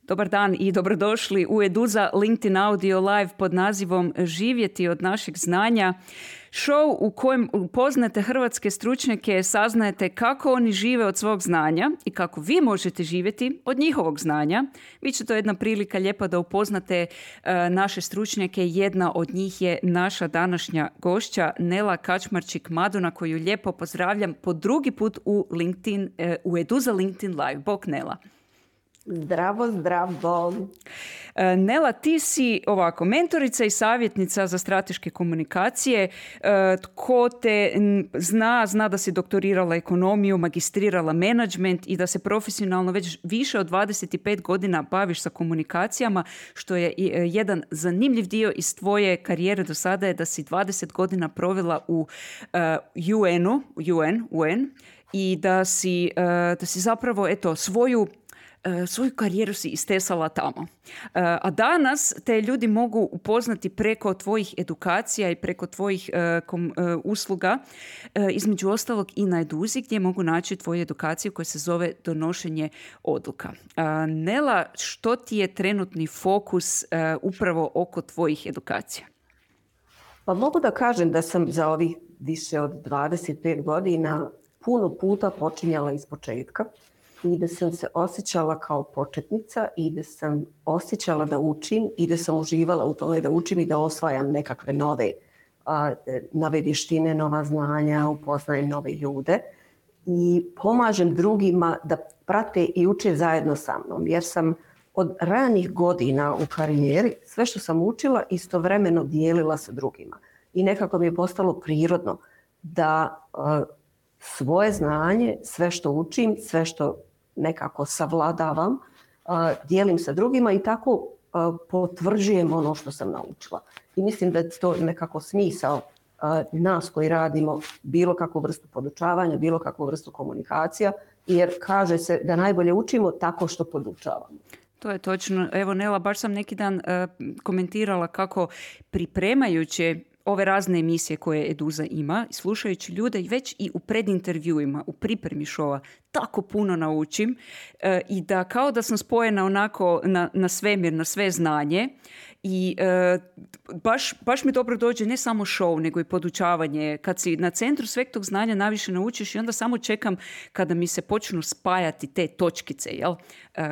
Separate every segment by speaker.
Speaker 1: Dobar dan i dobrodošli u Eduza LinkedIn Audio Live pod nazivom Živjeti od našeg znanja. Show u kojem upoznate hrvatske stručnjake, saznajete kako oni žive od svog znanja i kako vi možete živjeti od njihovog znanja. Biće to jedna prilika lijepa da upoznate naše stručnjake. Jedna od njih je naša današnja gošća Nela Kačmarčik-Maduna, koju lijepo pozdravljam po drugi put u Eduza LinkedIn Live. Bok Nela.
Speaker 2: Zdravo, zdravo.
Speaker 1: Nela, ti si ovako mentorica i savjetnica za strateške komunikacije. Tko te zna da si doktorirala ekonomiju, magistrirala menadžment i da se profesionalno već više od 25 godina baviš sa komunikacijama, što je jedan zanimljiv dio iz tvoje karijere do sada je da si 20 godina provela u UN i da si zapravo svoju karijeru si istesala tamo. A danas te ljudi mogu upoznati preko tvojih edukacija i preko tvojih usluga, između ostalog i na Eduzi, gdje mogu naći tvoju edukaciju koja se zove donošenje odluka. Nela, što ti je trenutni fokus upravo oko tvojih edukacija?
Speaker 2: Pa mogu da kažem da sam za ovih više od 25 godina puno puta počinjala iz početka i da sam se osjećala kao početnica i da sam osjećala da učim i da sam uživala u tome da učim i da osvajam nekakve nove vještine, nova znanja, upoznajem nove ljude i pomažem drugima da prate i uče zajedno sa mnom. Jer sam od ranih godina u karijeri sve što sam učila istovremeno dijelila sa drugima. I nekako mi je postalo prirodno da svoje znanje, sve što učim, sve što nekako savladavam, dijelim sa drugima i tako potvrđujem ono što sam naučila. I mislim da je to nekako smisao nas koji radimo bilo kakvu vrstu podučavanja, bilo kakvu vrstu komunikacija, jer kaže se da najbolje učimo tako što podučavamo.
Speaker 1: To je točno. Evo Nela, baš sam neki dan komentirala kako pripremajući ove razne emisije koje Eduza ima, slušajući ljude već i u predintervjuima, u pripremi šova, tako puno naučim i da kao da sam spojena onako na svemir, na sve znanje i baš mi dobro dođe ne samo show, nego i podučavanje. Kad si na centru sveg tog znanja najviše naučiš i onda samo čekam kada mi se počnu spajati te točkice,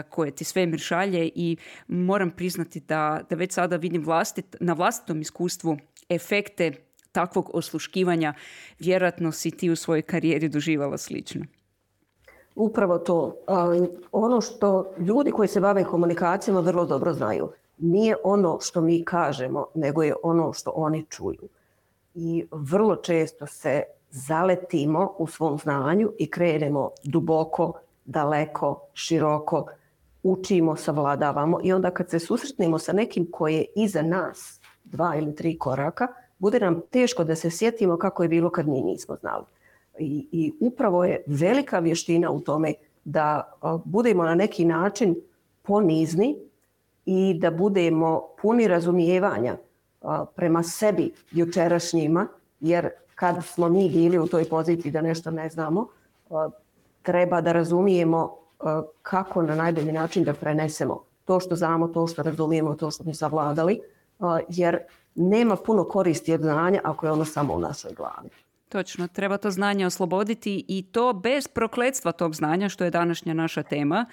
Speaker 1: koje ti svemir šalje i moram priznati da već sada vidim na vlastitom iskustvu efekte takvog osluškivanja. Vjerojatno si ti u svojoj karijeri doživala slično.
Speaker 2: Upravo to. Ono što ljudi koji se bave komunikacijama vrlo dobro znaju. Nije ono što mi kažemo, nego je ono što oni čuju. I vrlo često se zaletimo u svom znanju i krenemo duboko, daleko, široko, učimo, savladavamo i onda kad se susretnemo sa nekim koji je iza nas 2 ili 3 koraka, bude nam teško da se sjetimo kako je bilo kad mi nismo znali. I upravo je velika vještina u tome da budemo na neki način ponizni i da budemo puni razumijevanja prema sebi jučerašnjima, jer kad smo mi bili u toj poziciji da nešto ne znamo, treba da razumijemo kako na najbolji način da prenesemo to što znamo, to što razumijemo, to što smo savladali, jer nema puno koristi od znanja ako je ono samo u našoj glavi.
Speaker 1: Točno, treba to znanje osloboditi i to bez prokletstva tog znanja, što je današnja naša tema.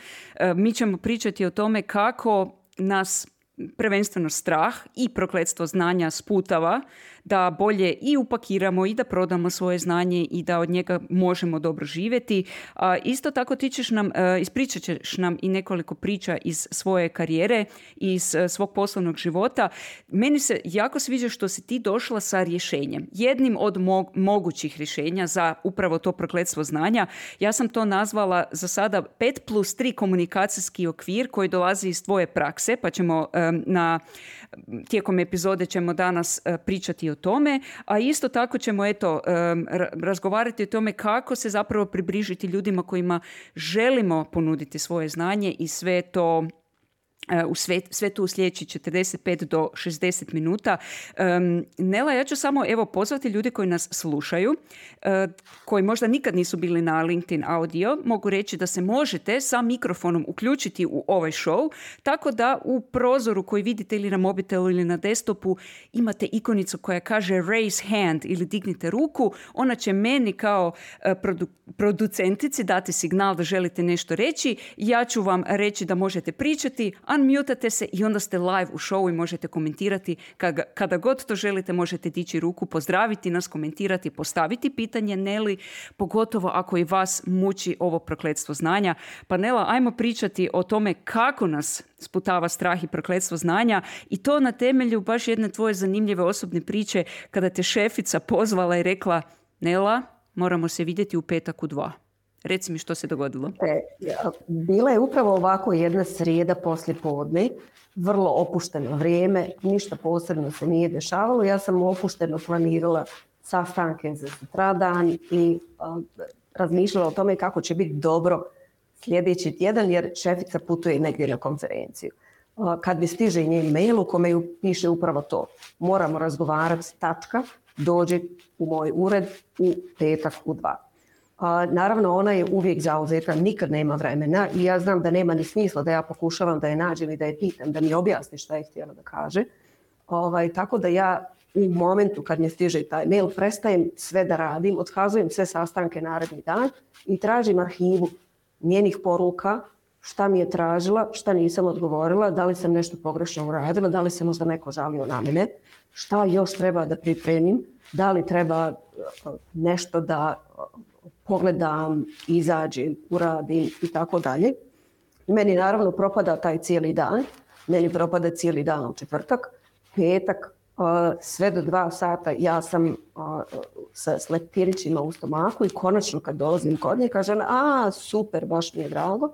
Speaker 1: Mi ćemo pričati o tome kako nas prvenstveno strah i prokletstvo znanja sputava da bolje i upakiramo i da prodamo svoje znanje i da od njega možemo dobro živjeti. Isto tako ispričat ćeš nam i nekoliko priča iz svoje karijere, iz svog poslovnog života. Meni se jako sviđa što si ti došla sa rješenjem. Jednim od mogućih rješenja za upravo to prokletstvo znanja. Ja sam to nazvala za sada 5+3 komunikacijski okvir koji dolazi iz tvoje prakse, pa ćemo tijekom epizode ćemo danas pričati o tome, a isto tako ćemo razgovarati o tome kako se zapravo približiti ljudima kojima želimo ponuditi svoje znanje i sve to u sve tu u sljedeći 45 do 60 minuta. Nela, ja ću samo pozvati ljude koji nas slušaju, koji možda nikad nisu bili na LinkedIn audio. Mogu reći da se možete sa mikrofonom uključiti u ovaj show, tako da u prozoru koji vidite ili na mobitelu ili na desktopu imate ikonicu koja kaže raise hand ili dignite ruku. Ona će meni kao producentici dati signal da želite nešto reći. Ja ću vam reći da možete pričati, unmutate se i onda ste live u showu i možete komentirati. Kada god to želite možete dići ruku, pozdraviti nas, komentirati, postaviti pitanje Neli, pogotovo ako i vas muči ovo prokletstvo znanja. Pa Nela, ajmo pričati o tome kako nas sputava strah i prokletstvo znanja i to na temelju baš jedne tvoje zanimljive osobne priče kada te šefica pozvala i rekla: Nela, moramo se vidjeti u petak u 2. Reci mi što se dogodilo.
Speaker 2: Bila je upravo ovako jedna srijeda poslijepodne, vrlo opušteno vrijeme, ništa posebno se nije dešavalo. Ja sam opušteno planirala sastanke za sutradan i razmišljala o tome kako će biti dobro sljedeći tjedan jer šefica putuje negdje na konferenciju. Kad mi stiže njen mail u kome ju piše upravo to: moramo razgovarati, tačka, dođi u moj ured u petak u 2. Naravno, ona je uvijek zauzeta, nikad nema vremena i ja znam da nema ni smisla da ja pokušavam da je nađem i da je pitam, da mi objasni šta je htjela da kaže. Tako da ja u momentu kad mi stiže taj mail prestajem sve da radim, otkazujem sve sastanke naredni dan i tražim arhivu njenih poruka, šta mi je tražila, šta nisam odgovorila, da li sam nešto pogrešno uradila, da li se možda neko žalio na mene, šta još treba da pripremim, da li treba nešto da pogledam, izađem, uradim i tako dalje. Meni naravno propada taj cijeli dan. Meni propada cijeli dan u četvrtak, petak, sve do 2 sata ja sam sa leptirićima u stomaku i konačno kad dolazim kod nje kažem: super, baš mi je drago.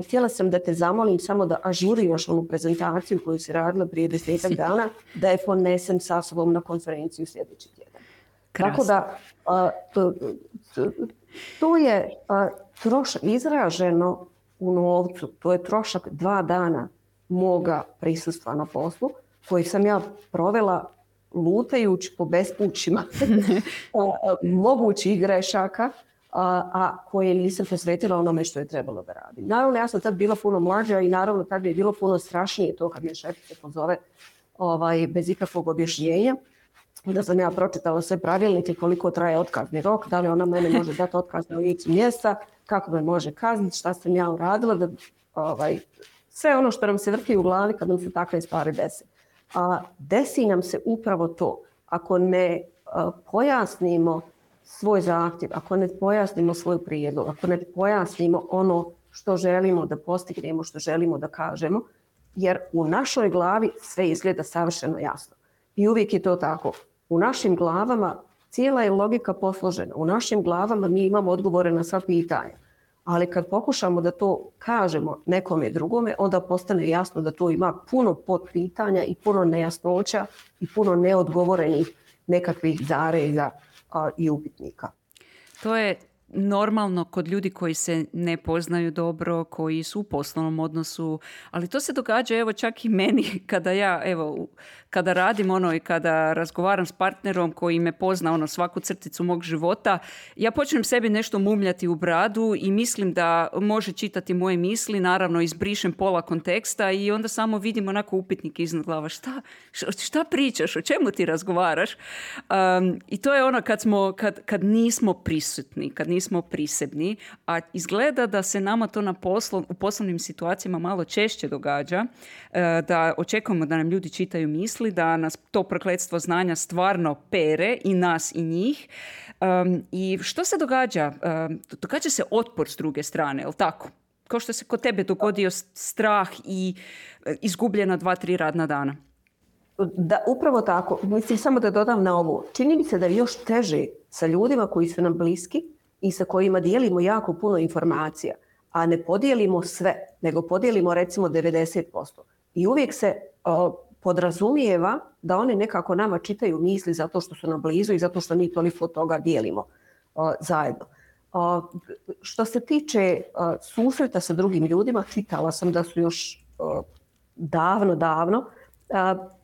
Speaker 2: Htjela sam da te zamolim samo da ažuriraš onu prezentaciju koju si radila prije 10 dana, da je ponesem sa sobom na konferenciju sljedeći tjedan. Tako da to je trošak izraženo u novcu, to je trošak 2 dana moga prisustva na poslu koji sam ja provela lutajući po bespućima mogućih grešaka, a koje nisam posvetila onome što je trebalo da radim. Naravno, ja sam tad bila puno mlađa i naravno tad bi je bilo puno strašnije to kad me šefica pozove bez ikakvog objašnjenja. Da sam ja pročitala sve pravilnike, koliko traje otkazni rok, da li ona mene može dati otkaz na licu mjesta, kako me može kazniti, šta sam ja uradila, sve ono što nam se vrti u glavi kad nam se takve stvari desi. Desi nam se upravo to. Ako ne pojasnimo svoj zahtjev, ako ne pojasnimo svoj prijedlog, ako ne pojasnimo ono što želimo da postignemo, što želimo da kažemo, jer u našoj glavi sve izgleda savršeno jasno. I uvijek je to tako. U našim glavama cijela je logika posložena. U našim glavama mi imamo odgovore na sva pitanja. Ali kad pokušamo da to kažemo nekome drugome, onda postane jasno da to ima puno potpitanja i puno nejasnoća i puno neodgovorenih nekakvih zareza i upitnika.
Speaker 1: To je normalno kod ljudi koji se ne poznaju dobro, koji su u poslovnom odnosu, ali to se događa čak i meni kada radim i kada razgovaram s partnerom koji me pozna svaku crticu mog života, ja počnem sebi nešto mumljati u bradu i mislim da može čitati moje misli, naravno izbrišem pola konteksta i onda samo vidim onako upitnik iznad glava. Šta pričaš, o čemu ti razgovaraš? I to je kad nismo prisutni, kad nismo prisebni, a izgleda da se nama to u poslovnim situacijama malo češće događa, da očekujemo da nam ljudi čitaju misli, da nas to prokletstvo znanja stvarno pere i nas i njih. I što se događa? Događa se otpor s druge strane, je li tako? Kao što se kod tebe dogodio strah i izgubljena 2-3 radna dana.
Speaker 2: Da, upravo tako. Mislim, samo da dodam na ovo. Čini mi se da je još teže sa ljudima koji su nam bliski i sa kojima dijelimo jako puno informacija, a ne podijelimo sve, nego podijelimo recimo 90%. I uvijek se podrazumijeva da oni nekako nama čitaju misli zato što su nam blizu i zato što mi toliko toga dijelimo zajedno. Što se tiče susreta sa drugim ljudima, čitala sam da su još davno,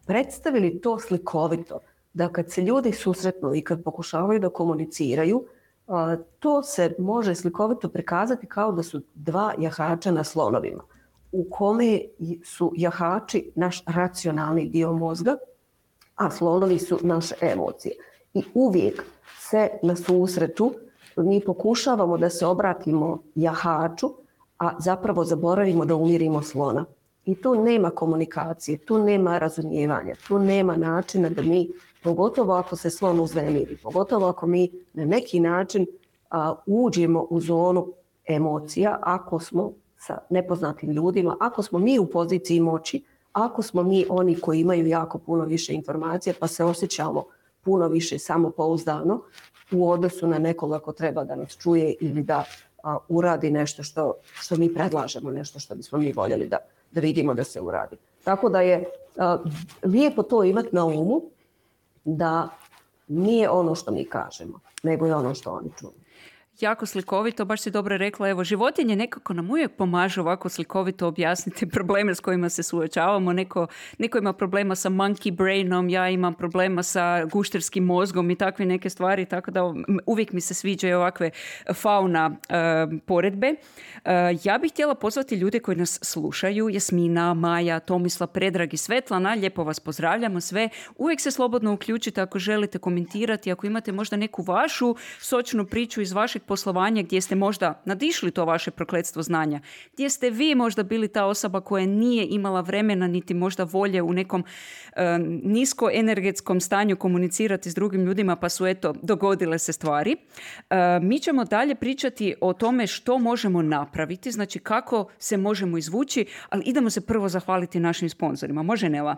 Speaker 2: predstavili to slikovito. Da kad se ljudi susretnu i kad pokušavaju da komuniciraju, to se može slikovito prikazati kao da su dva jahača na slonovima, u kome su jahači naš racionalni dio mozga, a slonovi su naše emocije. I uvijek se na susretu mi pokušavamo da se obratimo jahaču, a zapravo zaboravimo da umirimo slona. I tu nema komunikacije, tu nema razumijevanja, tu nema načina da mi, pogotovo ako se slon uznemiri, pogotovo ako mi na neki način uđemo u zonu emocija, ako smo sa nepoznatim ljudima, ako smo mi u poziciji moći, ako smo mi oni koji imaju jako puno više informacija pa se osjećamo puno više samopouzdano u odnosu na nekoga ko treba da nas čuje ili da uradi nešto što mi predlažemo, nešto što bismo mi voljeli da vidimo da se uradi. Tako da je lijepo to imati na umu, da nije ono što mi kažemo, nego je ono što oni čuju.
Speaker 1: Jako slikovito, baš si dobro rekla. Evo, životinje nekako nam uvijek pomažu ovako slikovito objasniti probleme s kojima se suočavamo. Neko ima problema sa monkey brainom, ja imam problema sa gušterskim mozgom i takve neke stvari, tako da uvijek mi se sviđaju ovakve fauna poredbe. Ja bih htjela pozvati ljude koji nas slušaju, Jasmina, Maja, Tomislav, Predrag i Svetlana, lijepo vas pozdravljamo sve. Uvijek se slobodno uključite ako želite komentirati, ako imate možda neku vašu sočnu priču iz vašeg poslovanja gdje ste možda nadišli to vaše prokletstvo znanja, gdje ste vi možda bili ta osoba koja nije imala vremena niti možda volje u nekom niskoenergetskom stanju komunicirati s drugim ljudima, pa su dogodile se stvari. Mi ćemo dalje pričati o tome što možemo napraviti, znači kako se možemo izvući, ali idemo se prvo zahvaliti našim sponzorima. Može, Nela?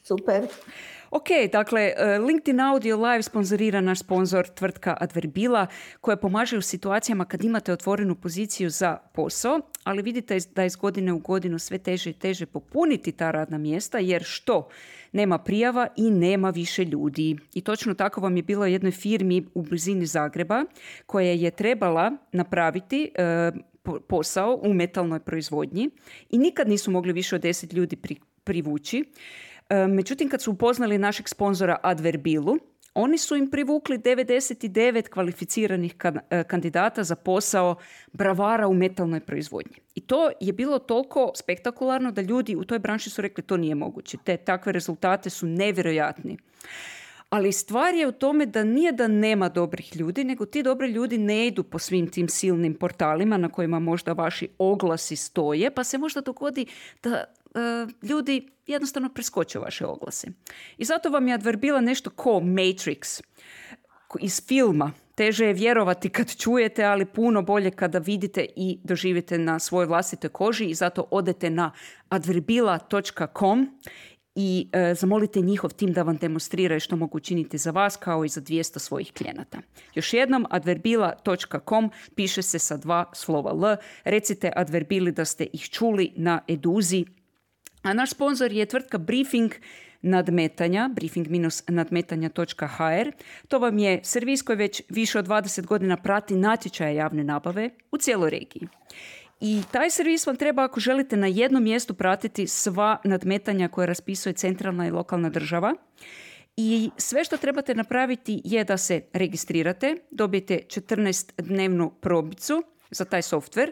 Speaker 2: Super.
Speaker 1: Ok, dakle, LinkedIn Audio Live sponzorira naš sponzor tvrtka Adverbila, koja pomaže u situacijama kad imate otvorenu poziciju za posao, ali vidite da je iz godine u godinu sve teže i teže popuniti ta radna mjesta, jer što? Nema prijava i nema više ljudi. I točno tako vam je bilo jednoj firmi u blizini Zagreba koja je trebala napraviti posao u metalnoj proizvodnji i nikad nisu mogli više od 10 ljudi privući. Međutim, kad su upoznali našeg sponzora Adverbilu, oni su im privukli 99 kvalificiranih kandidata za posao bravara u metalnoj proizvodnji. I to je bilo toliko spektakularno da ljudi u toj branši su rekli to nije moguće. Takve rezultate su nevjerojatni. Ali stvar je u tome da nije da nema dobrih ljudi, nego ti dobri ljudi ne idu po svim tim silnim portalima na kojima možda vaši oglasi stoje, pa se možda dogodi da ljudi jednostavno preskoče vaše oglase. I zato vam je Adverbila nešto ko Matrix iz filma. Teže je vjerovati kad čujete, ali puno bolje kada vidite i doživite na svojoj vlastitoj koži, i zato odete na adverbila.com i zamolite njihov tim da vam demonstriraju što mogu učiniti za vas kao i za 200 svojih klijenata. Još jednom, adverbila.com, piše se sa 2 slova L. Recite Adverbili da ste ih čuli na Eduzi. A naš sponzor je tvrtka Briefing nadmetanja, briefing-nadmetanja.hr. To vam je servis koji već više od 20 godina prati natječaje javne nabave u cijeloj regiji. I taj servis vam treba ako želite na jednom mjestu pratiti sva nadmetanja koje raspisuje centralna i lokalna država. I sve što trebate napraviti je da se registrirate, dobijete 14-dnevnu probicu za taj softver,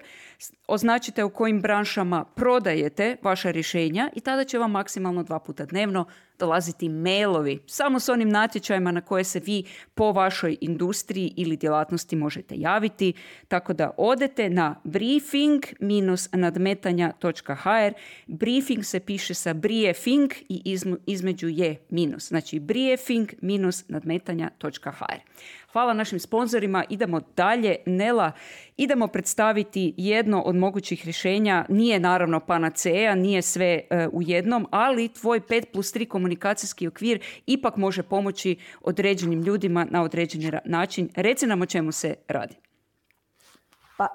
Speaker 1: označite u kojim branšama prodajete vaša rješenja i tada će vam maksimalno 2 puta dnevno dolaziti mailovi samo s onim natječajima na koje se vi po vašoj industriji ili djelatnosti možete javiti. Tako da odete na briefing-nadmetanja.hr. Briefing se piše sa briefing i između je minus. Znači briefing-nadmetanja.hr. Hvala našim sponzorima. Idemo dalje. Nela, idemo predstaviti jedno od mogućih rješenja. Nije naravno panacea, nije sve u jednom, ali tvoj 5+3 komunikacijski okvir ipak može pomoći određenim ljudima na određeni način. Reci nam o čemu se radi.
Speaker 2: Pa,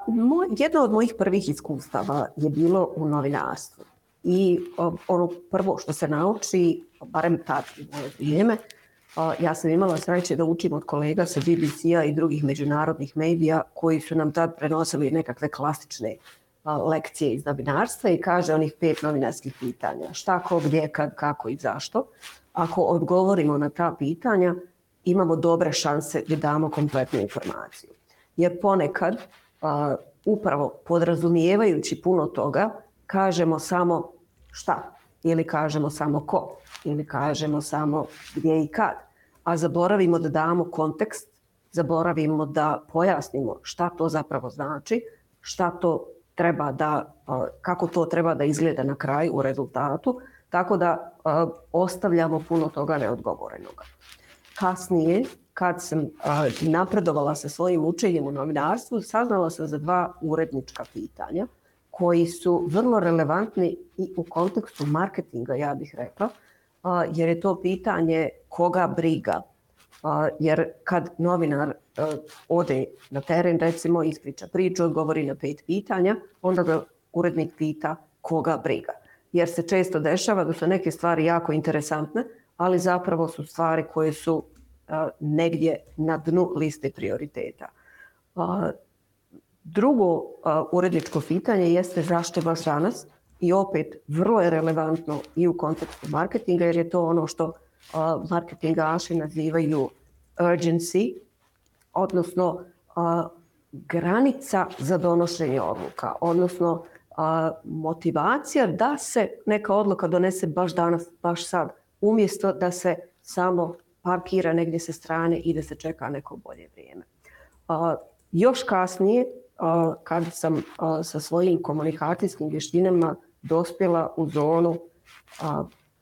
Speaker 2: jedno od mojih prvih iskustava je bilo u novinarstvu. I ono prvo što se nauči, barem tad u moje vrijeme, ja sam imala sreće da učim od kolega sa BBC-a i drugih međunarodnih medija koji su nam tad prenosili nekakve klasične lekcije iz novinarstva i kaže onih 5 novinarskih pitanja. Šta, ko, gdje, kad, kako i zašto. Ako odgovorimo na ta pitanja, imamo dobre šanse da damo kompletnu informaciju. Jer ponekad, upravo podrazumijevajući puno toga, kažemo samo šta, ili kažemo samo ko, ili kažemo samo gdje i kad, a zaboravimo da damo kontekst, zaboravimo da pojasnimo šta to zapravo znači, šta to treba da, kako to treba da izgleda na kraju u rezultatu, tako da ostavljamo puno toga neodgovorenog. Kasnije, kad sam napredovala sa svojim učenjem u novinarstvu, saznala sam za 2 urednička pitanja koji su vrlo relevantni i u kontekstu marketinga, ja bih rekla, jer je to pitanje koga briga. Jer kad novinar ode na teren, recimo, ispriča priču, odgovori na 5 pitanja, onda ga urednik pita koga briga. Jer se često dešava da su neke stvari jako interesantne, ali zapravo su stvari koje su negdje na dnu liste prioriteta. Drugo uredničko pitanje jeste zašto baš danas, i opet vrlo je relevantno i u kontekstu marketinga, jer je to ono što marketingaši nazivaju urgency, odnosno granica za donošenje odluka, odnosno motivacija da se neka odluka donese baš danas, baš sad, umjesto da se samo parkira negdje sa strane i da se čeka neko bolje vrijeme. Još kasnije, kad sam sa svojim komunikacijskim vještinama dospjela u zonu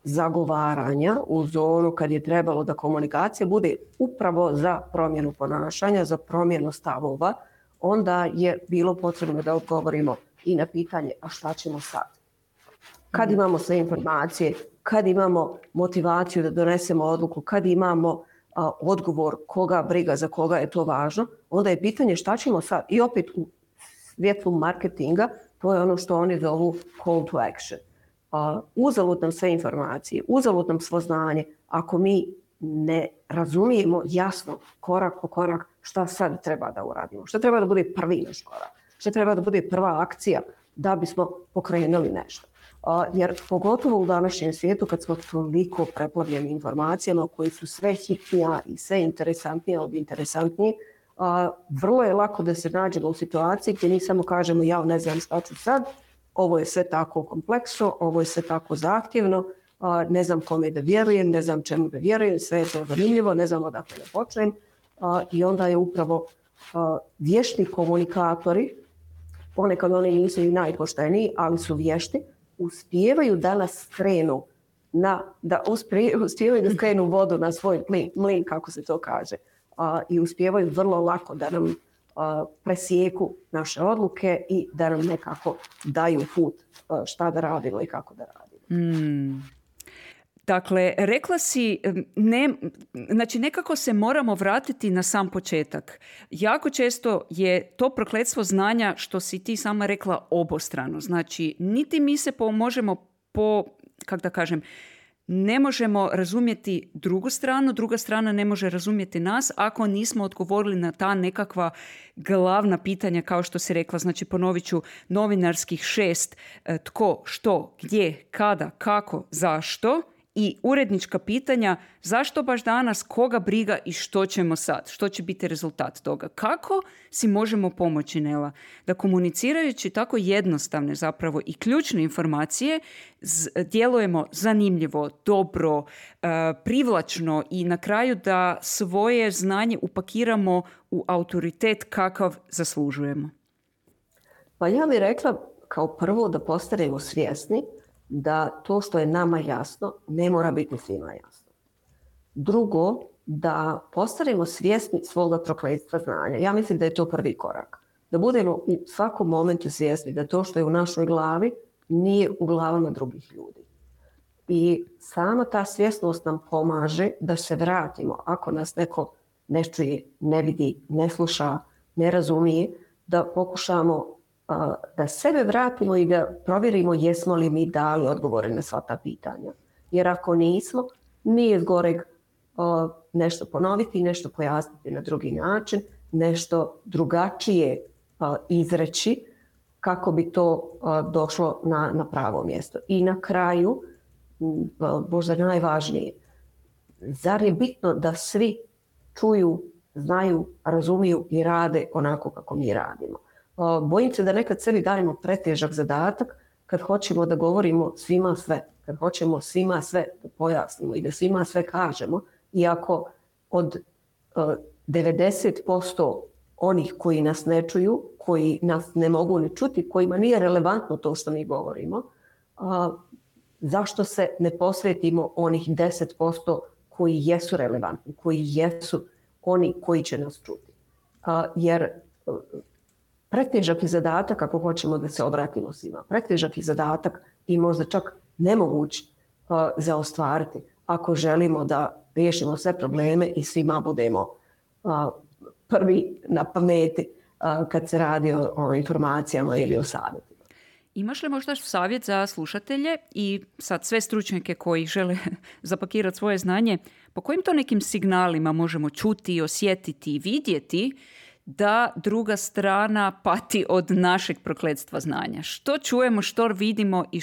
Speaker 2: zagovaranja, u zonu kad je trebalo da komunikacija bude upravo za promjenu ponašanja, za promjenu stavova, onda je bilo potrebno da odgovorimo i na pitanje a šta ćemo sad? Kad imamo sve informacije, kad imamo motivaciju da donesemo odluku, kad imamo odgovor koga briga, za koga je to važno, onda je pitanje šta ćemo sad? I opet u svjetlu marketinga, to je ono što oni zovu call to action. Uzalud nam sve informacije, uzalud nam svo znanje, ako mi ne razumijemo jasno korak po korak šta sad treba da uradimo, šta treba da bude prvi naš korak, šta treba da bude prva akcija da bismo pokrenuli nešto. Jer pogotovo u današnjem svijetu kad smo toliko preplavljeni informacijama koji su sve hitnija i sve interesantnije od interesantnije, vrlo je lako da se nađemo u situaciji gdje mi samo kažemo ja ne znam šta ću sad, ovo je sve tako kompleksno, ovo je sve tako zahtjevno, ne znam kome da vjerujem, ne znam čemu da vjerujem, sve je to zanimljivo, ne znam odakle da počnem. I onda je upravo vješti komunikatori, ponekad oni nisu i najpošteniji, ali su vješti, uspijevaju da nas skrenu uspijevaju da skrenu vodu na svoj mlin, kako se to kaže. I uspijevaju vrlo lako da nam presijeku naše odluke i da nam nekako daju put šta da radimo i kako da radimo.
Speaker 1: Dakle, rekla si, znači nekako se moramo vratiti na sam početak. Jako često je to prokletstvo znanja, što si ti sama rekla, obostrano. Znači, niti mi se možemo ne možemo razumjeti drugu stranu, druga strana ne može razumjeti nas ako nismo odgovorili na ta nekakva glavna pitanja, kao što si rekla. Znači, ponovit ću, novinarskih 6, tko, što, gdje, kada, kako, zašto, i urednička pitanja, zašto baš danas, koga briga i što ćemo sad, što će biti rezultat toga. Kako si možemo pomoći, Nela, da komunicirajući tako jednostavne zapravo i ključne informacije djelujemo zanimljivo, dobro, privlačno i na kraju da svoje znanje upakiramo u autoritet kakav zaslužujemo?
Speaker 2: Pa ja bih rekla kao prvo da postanemo svjesni da to što je nama jasno ne mora biti svima jasno. Drugo, da postanemo svjesni svoga prokletstva znanja. Ja mislim da je to prvi korak. Da budemo u svakom momentu svjesni da to što je u našoj glavi nije u glavama drugih ljudi. I sama ta svjesnost nam pomaže da se vratimo. Ako nas neko ne čuje, ne vidi, ne sluša, ne razumije, da pokušamo da sebe vratimo i da provjerimo jesmo li mi dali odgovore na sva ta pitanja. Jer ako nismo, nije zgoreg nešto ponoviti, nešto pojasniti na drugi način, nešto drugačije izreći, kako bi to došlo na pravo mjesto. I na kraju, možda najvažnije, zar je bitno da svi čuju, znaju, razumiju i rade onako kako mi radimo? Bojim se da nekad sebi dajemo pretežak zadatak kad hoćemo da govorimo svima sve, kad hoćemo svima sve da pojasnimo i da svima sve kažemo, iako od 90% onih koji nas ne čuju, koji nas ne mogu ni čuti, kojima nije relevantno to što mi govorimo, zašto se ne posvetimo onih 10% koji jesu relevantni, koji jesu oni koji će nas čuti? Jer pretežak je zadatak ako hoćemo da se obratimo svima. Pretežak je zadatak i možda čak nemoguć za ostvariti ako želimo da riješimo sve probleme i svima budemo prvi na pameti kad se radi o informacijama ili o savjetima.
Speaker 1: Imaš li možda savjet za slušatelje i sad sve stručnjake koji žele zapakirati svoje znanje, po kojim to nekim signalima možemo čuti, osjetiti i vidjeti da druga strana pati od našeg prokletstva znanja? Što čujemo, što vidimo i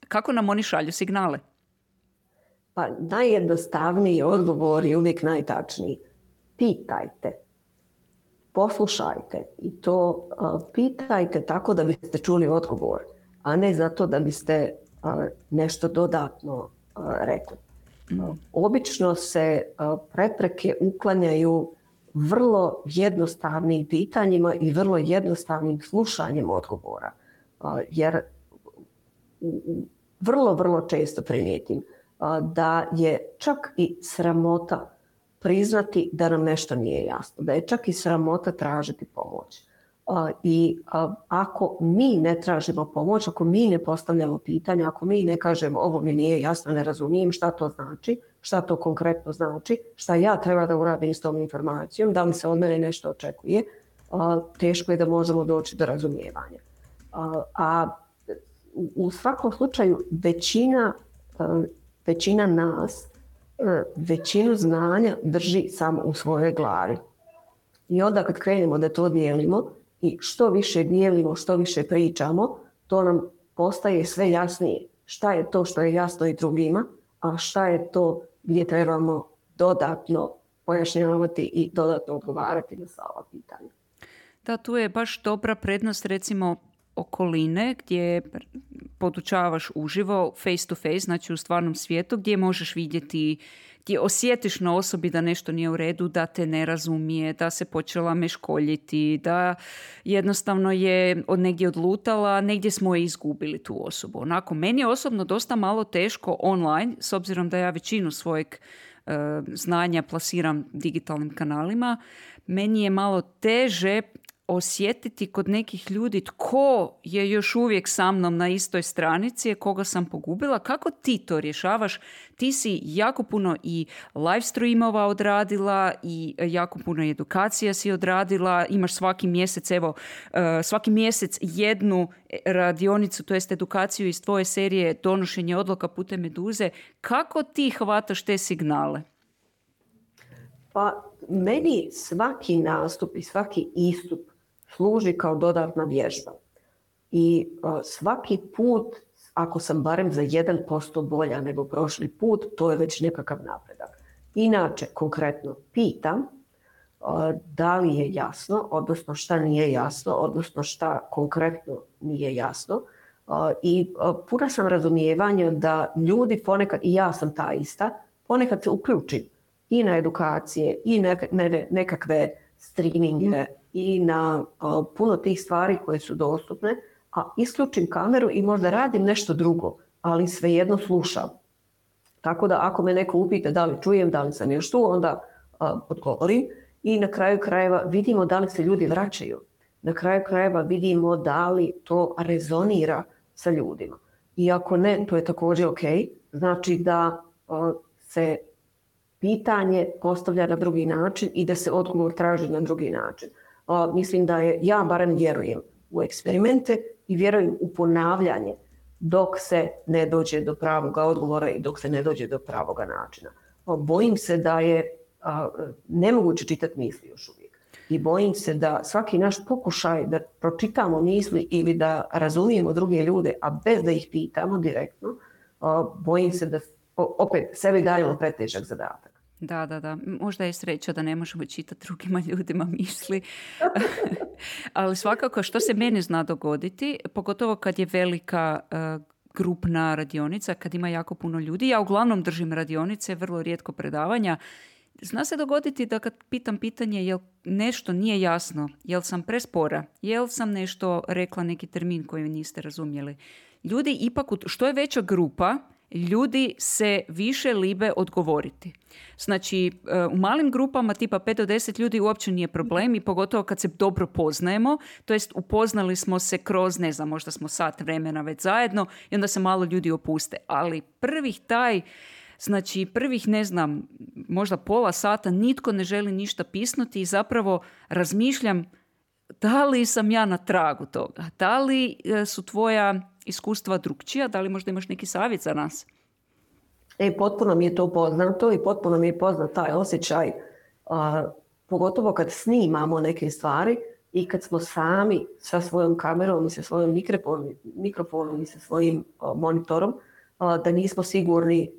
Speaker 1: kako nam oni šalju signale?
Speaker 2: Pa najjednostavniji odgovor je uvijek najtačniji. Pitajte. Poslušajte i to pitajte tako da biste čuli odgovor, a ne zato da biste nešto dodatno rekli. Obično se prepreke uklanjaju vrlo jednostavnim pitanjima i vrlo jednostavnim slušanjem odgovora. Jer vrlo često primijetim da je čak i sramota priznati da nam nešto nije jasno, da je čak i sramota tražiti pomoć. I ako mi ne tražimo pomoć, ako mi ne postavljamo pitanja, ako mi ne kažemo ovo mi nije jasno, ne razumijem šta to znači, šta to konkretno znači, šta ja treba da uradim s tom informacijom, da li se od mene nešto očekuje, teško je da možemo doći do razumijevanja. A u svakom slučaju većina nas većinu znanja drži samo u svojoj glavi. I onda kad krenemo da to dijelimo i što više dijelimo, što više pričamo, to nam postaje sve jasnije. Šta je to što je jasno i drugima, a šta je to gdje trebamo dodatno pojašnjavati i dodatno odgovarati na sva ova pitanja.
Speaker 1: Da, tu je baš dobra prednost recimo okoline gdje podučavaš uživo, face to face, znači u stvarnom svijetu, gdje možeš vidjeti, gdje osjetiš na osobi da nešto nije u redu, da te ne razumije, da se počela meškoljiti, da jednostavno je od negdje odlutala, negdje smo je izgubili tu osobu. Onako, meni je osobno dosta malo teško online, s obzirom da ja većinu svojeg znanja plasiram digitalnim kanalima, meni je malo teže osjetiti kod nekih ljudi tko je još uvijek sa mnom na istoj stranici, koga sam pogubila. Kako ti to rješavaš? Ti si jako puno i live streamova odradila i jako puno edukacija si odradila. Imaš svaki mjesec jednu radionicu, to jest edukaciju iz tvoje serije Donošenje odluka putem Meduze. Kako ti hvataš te signale?
Speaker 2: Pa meni svaki nastup i svaki istup služi kao dodatna vježba. I svaki put, ako sam barem za 1% bolja nego prošli put, to je već nekakav napredak. Inače, konkretno, pitam da li je jasno, odnosno šta nije jasno, odnosno šta konkretno nije jasno. I puna sam razumijevanja da ljudi ponekad, i ja sam ta ista, ponekad se uključim i na edukacije i nekakve streaminge i na puno tih stvari koje su dostupne, a isključim kameru i možda radim nešto drugo, ali svejedno slušam. Tako da ako me neko upita da li čujem, da li sam još tu, onda odgovorim i na kraju krajeva vidimo da li se ljudi vraćaju. Na kraju krajeva vidimo da li to rezonira sa ljudima. I ako ne, to je također ok. Znači da se pitanje postavlja na drugi način i da se odgovor traži na drugi način. Mislim da ja barem vjerujem u eksperimente i vjerujem u ponavljanje dok se ne dođe do pravoga odgovora i dok se ne dođe do pravoga načina. Bojim se da je nemoguće čitati misli još uvijek. I bojim se da svaki naš pokušaj da pročitamo misli ili da razumijemo druge ljude, a bez da ih pitamo direktno, bojim se da opet sebi dajemo pretežak zadatak.
Speaker 1: Da. Možda je sreća da ne možemo čitati drugima ljudima misli. Ali svakako što se meni zna dogoditi, pogotovo kad je velika grupna radionica, kad ima jako puno ljudi. Ja uglavnom držim radionice, vrlo rijetko predavanja. Zna se dogoditi da kad pitam pitanje jel nešto nije jasno, jel sam prespora, jel sam nešto rekla neki termin koji niste razumjeli. Ljudi ipak, što je veća grupa, ljudi se više libe odgovoriti. Znači, u malim grupama tipa 5 do 10 ljudi uopće nije problem i pogotovo kad se dobro poznajemo, to jest upoznali smo se kroz, ne znam, možda smo sat vremena već zajedno i onda se malo ljudi opuste. Ali prvih, ne znam, možda pola sata nitko ne želi ništa pisnuti i zapravo razmišljam da li sam ja na tragu toga, da li su tvoja iskustva drukčija, da li možda imaš neki savjet za nas?
Speaker 2: Potpuno mi je to poznato i potpuno mi je poznat taj osjećaj, pogotovo kad snimamo neke stvari i kad smo sami sa svojom kamerom i sa svojim mikrofonom i sa svojim monitorom, da nismo sigurni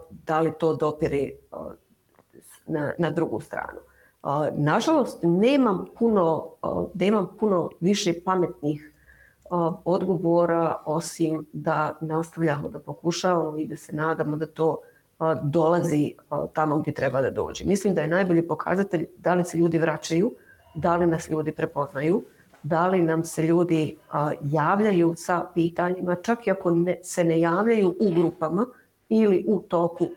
Speaker 2: da li to dopire na drugu stranu. Nažalost, nemam puno više pametnih odgovora osim da nastavljamo da pokušavamo i da se nadamo da to dolazi tamo gdje treba da dođe. Mislim da je najbolji pokazatelj da li se ljudi vraćaju, da li nas ljudi prepoznaju, da li nam se ljudi javljaju sa pitanjima, čak i ako se ne javljaju u grupama ili u toku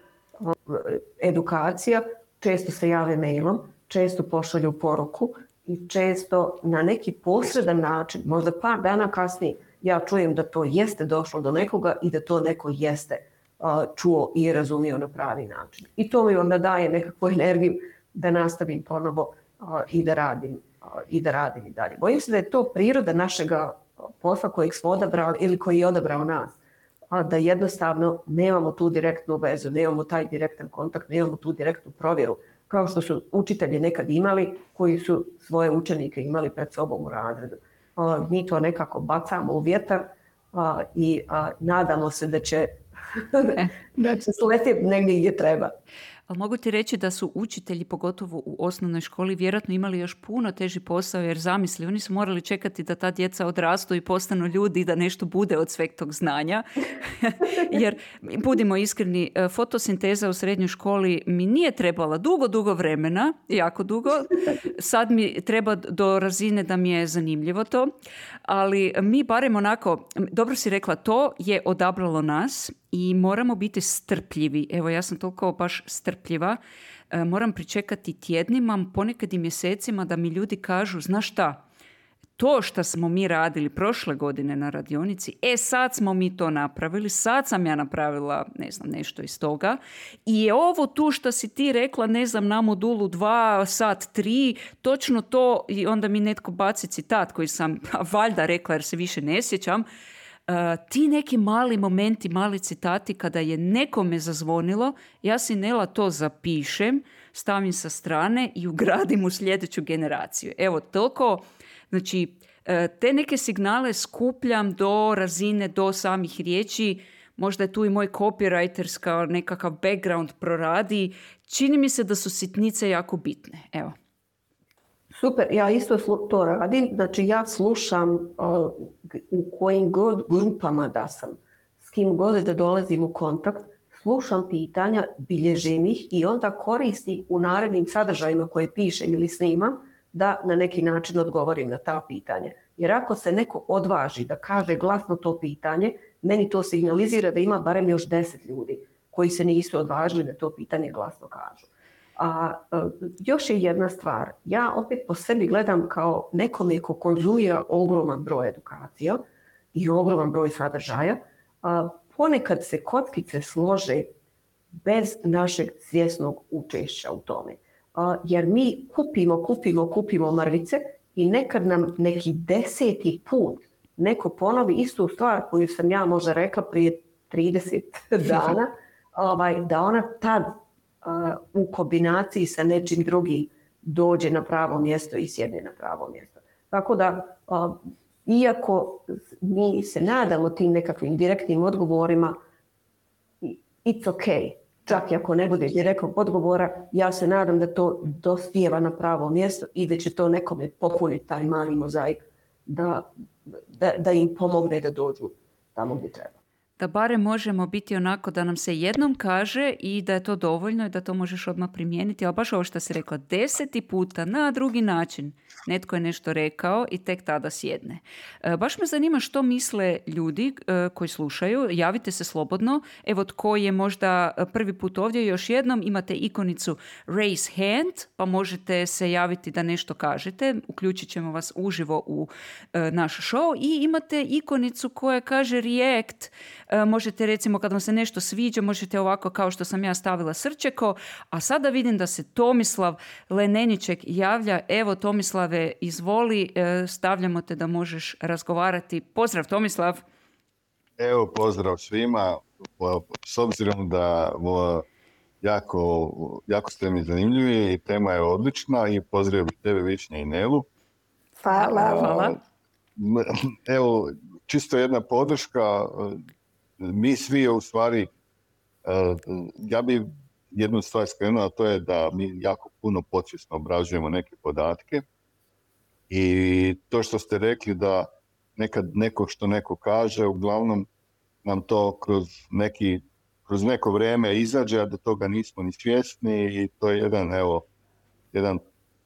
Speaker 2: edukacija, često se jave mailom, često pošalju poruku i često na neki posredan način, možda par dana kasnije, ja čujem da to jeste došlo do nekoga i da to neko jeste čuo i razumio na pravi način. I to mi onda daje nekakvu energiju da nastavim ponovo i da radim i dalje. Bojim se da je to priroda našega posla kojeg smo odabrali ili koji je odabrao nas. Da jednostavno nemamo tu direktnu vezu, nemamo taj direktan kontakt, nemamo tu direktnu provjeru, kao što su učitelji nekad imali, koji su svoje učenike imali pred sobom u razredu. Mi to nekako bacamo u vjetar i nadamo se da će sletiti negdje gdje treba.
Speaker 1: Ali mogu ti reći da su učitelji, pogotovo u osnovnoj školi, vjerojatno imali još puno teži posao, jer zamisli, oni su morali čekati da ta djeca odrastu i postanu ljudi i da nešto bude od sveg tog znanja. Jer, budimo iskreni, fotosinteza u srednjoj školi mi nije trebala dugo vremena, jako dugo. Sad mi treba do razine da mi je zanimljivo to. Ali mi barem onako, dobro si rekla, to je odabralo nas i moramo biti strpljivi. Evo, ja sam toliko baš strpljiva. Moram pričekati tjednima, ponekad i mjesecima da mi ljudi kažu, znaš šta, to što smo mi radili prošle godine na radionici, sad smo mi to napravili, sad sam ja napravila, ne znam, nešto iz toga. I je ovo tu što si ti rekla, ne znam, na modulu 2, sat 3, točno to, i onda mi netko baci citat koji sam valjda rekla jer se više ne sjećam. Ti neki mali momenti, mali citati kada je nekome zazvonilo, ja si Nela to zapišem, stavim sa strane i ugradim u sljedeću generaciju. Evo, toliko, znači, te neke signale skupljam do razine, do samih riječi, možda je tu i moj copywriterska nekakav background proradi, čini mi se da su sitnice jako bitne, evo.
Speaker 2: Super, ja isto to radim, znači ja slušam u kojim god grupama da sam, s kim god da dolazim u kontakt, slušam pitanja, bilježim ih i onda koristim u narednim sadržajima koje pišem ili snimam da na neki način odgovorim na ta pitanja. Jer ako se neko odvaži da kaže glasno to pitanje, meni to signalizira da ima barem još 10 ljudi koji se nisu odvažili da to pitanje glasno kažu. A još je jedna stvar, ja opet po sebi gledam kao nekome ko konzumira ogroman broj edukacija i ogroman broj sadržaja, ponekad se kockice slože bez našeg svjesnog učešća u tome. Jer mi kupimo mrvice i nekad nam neki 10. put neko ponovi istu stvar koju sam ja možda rekla prije 30 dana, da ona tad u kombinaciji sa nečim drugim dođe na pravo mjesto i sjedne na pravo mjesto. Tako da, iako mi se nadamo tim nekakvim direktnim odgovorima, it's okay. Čak i ako ne bude direktnog odgovora, ja se nadam da to dospijeva na pravo mjesto i da će to nekome popuniti taj mali mozaik da im pomogne da dođu tamo gdje treba.
Speaker 1: Da barem možemo biti onako da nam se jednom kaže i da je to dovoljno i da to možeš odmah primijeniti, ali baš ovo što si rekla, 10. puta na drugi način netko je nešto rekao i tek tada sjedne. Baš me zanima što misle ljudi koji slušaju, javite se slobodno. Evo tko je možda prvi put ovdje, još jednom imate ikonicu raise hand, pa možete se javiti da nešto kažete, uključit ćemo vas uživo u naš show i imate ikonicu koja kaže react. Možete recimo kad vam se nešto sviđa, možete ovako kao što sam ja stavila srčeko, a sada vidim da se Tomislav Leneniček javlja. Evo Tomislave, izvoli, stavljamo te da možeš razgovarati. Pozdrav Tomislav.
Speaker 3: Evo pozdrav svima, s obzirom da jako ste mi zanimljivi i tema je odlična i pozdrav tebe Višnja i Nelu.
Speaker 2: Hvala.
Speaker 3: Evo, čisto jedna podrška. Mi svi u stvari, ja bi jednu stvar skrenuo, a to je da mi jako puno podsvjesno obrađujemo neke podatke i to što ste rekli da nekad što neko kaže, uglavnom nam to kroz neko vrijeme izađe, a da toga nismo ni svjesni i to je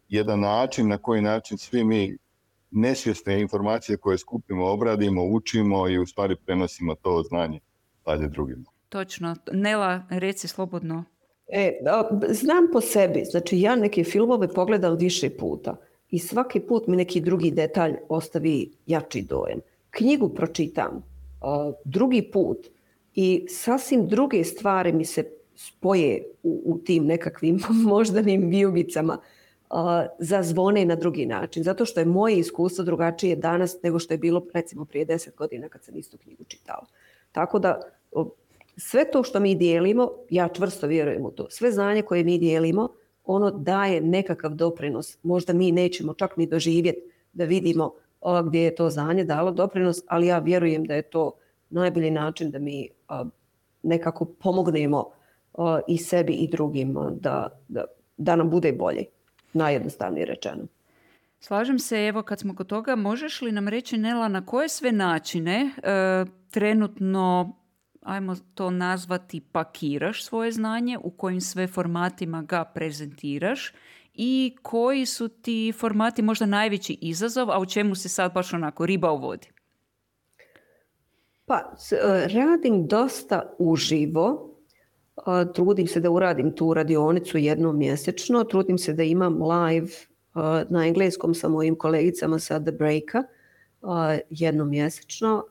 Speaker 3: jedan način na koji način svi mi nesvjesne informacije koje skupimo, obradimo, učimo i u stvari prenosimo to znanje dalje drugima.
Speaker 1: Točno. Nela, reci slobodno.
Speaker 2: Znam po sebi, znači ja neke filmove pogledam više puta i svaki put mi neki drugi detalj ostavi jači dojam. Knjigu pročitam drugi put i sasvim druge stvari mi se spoje u tim nekakvim moždanim vijugicama, zazvone na drugi način, zato što je moje iskustvo drugačije danas nego što je bilo recimo prije 10 godina kad sam istu knjigu čitala. Tako da sve to što mi dijelimo, ja čvrsto vjerujem u to, sve znanje koje mi dijelimo, ono daje nekakav doprinos. Možda mi nećemo čak ni doživjeti da vidimo gdje je to znanje dalo doprinos, ali ja vjerujem da je to najbolji način da mi nekako pomognemo i sebi i drugima da nam bude bolje. Najjednostavnije rečeno.
Speaker 1: Slažem se, evo kad smo kod toga, možeš li nam reći Nela na koje sve načine trenutno, ajmo to nazvati, pakiraš svoje znanje, u kojim sve formatima ga prezentiraš i koji su ti formati možda najveći izazov, a u čemu se sad baš onako riba u vodi?
Speaker 2: Pa, radim dosta uživo. Trudim se da uradim tu radionicu jednom mjesečno. Trudim se da imam live na engleskom sa mojim kolegicama sa The Breaka jednom mjesečno.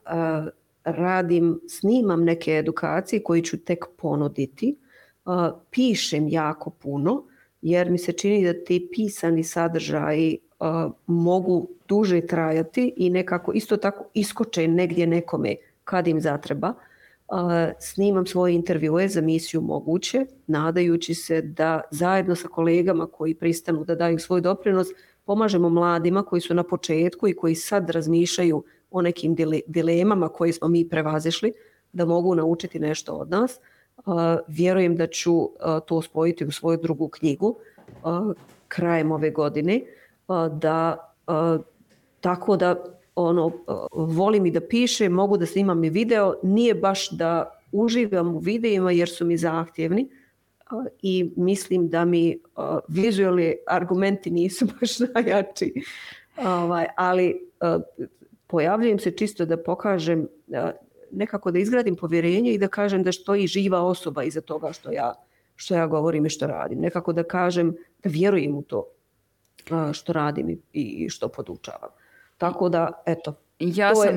Speaker 2: Snimam neke edukacije koje ću tek ponuditi. Pišem jako puno jer mi se čini da ti pisani sadržaji mogu duže trajati i nekako isto tako iskoče negdje nekome kad im zatreba. Snimam svoje intervjue za misiju Moguće, nadajući se da zajedno sa kolegama koji pristanu da daju svoj doprinos, pomažemo mladima koji su na početku i koji sad razmišljaju o nekim dilemama koje smo mi prevazišli, da mogu naučiti nešto od nas. Vjerujem da ću to spojiti u svoju drugu knjigu krajem ove godine, tako da volim i da pišem, mogu da snimam i video, nije baš da uživam u videima jer su mi zahtjevni i mislim da mi vizualni argumenti nisu baš najjači, ali pojavljujem se čisto da pokažem, nekako da izgradim povjerenje i da kažem da stoji živa osoba iza toga što ja govorim i što radim. Nekako da kažem da vjerujem u to što radim i što podučavam. Tako da, eto,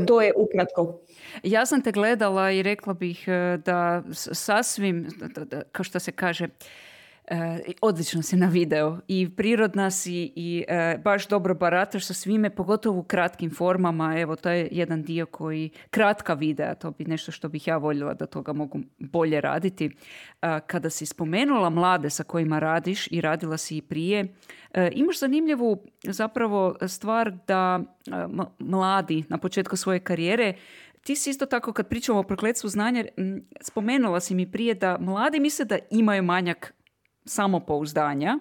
Speaker 2: to je ukratko.
Speaker 1: Ja sam te gledala i rekla bih da sasvim, kao što se kaže, Odlično si na video i prirodna si i baš dobro barataš sa svime, pogotovo u kratkim formama. Evo, to je jedan dio koji, kratka videa, to bi nešto što bih ja voljela da toga mogu bolje raditi. Kada si spomenula mlade sa kojima radiš i radila si i prije, imaš zanimljivu zapravo stvar da mladi na početku svoje karijere, ti si isto tako kad pričamo o prokletstvu znanja, spomenula si mi prije da mladi misle da imaju manjak samopouzdanja,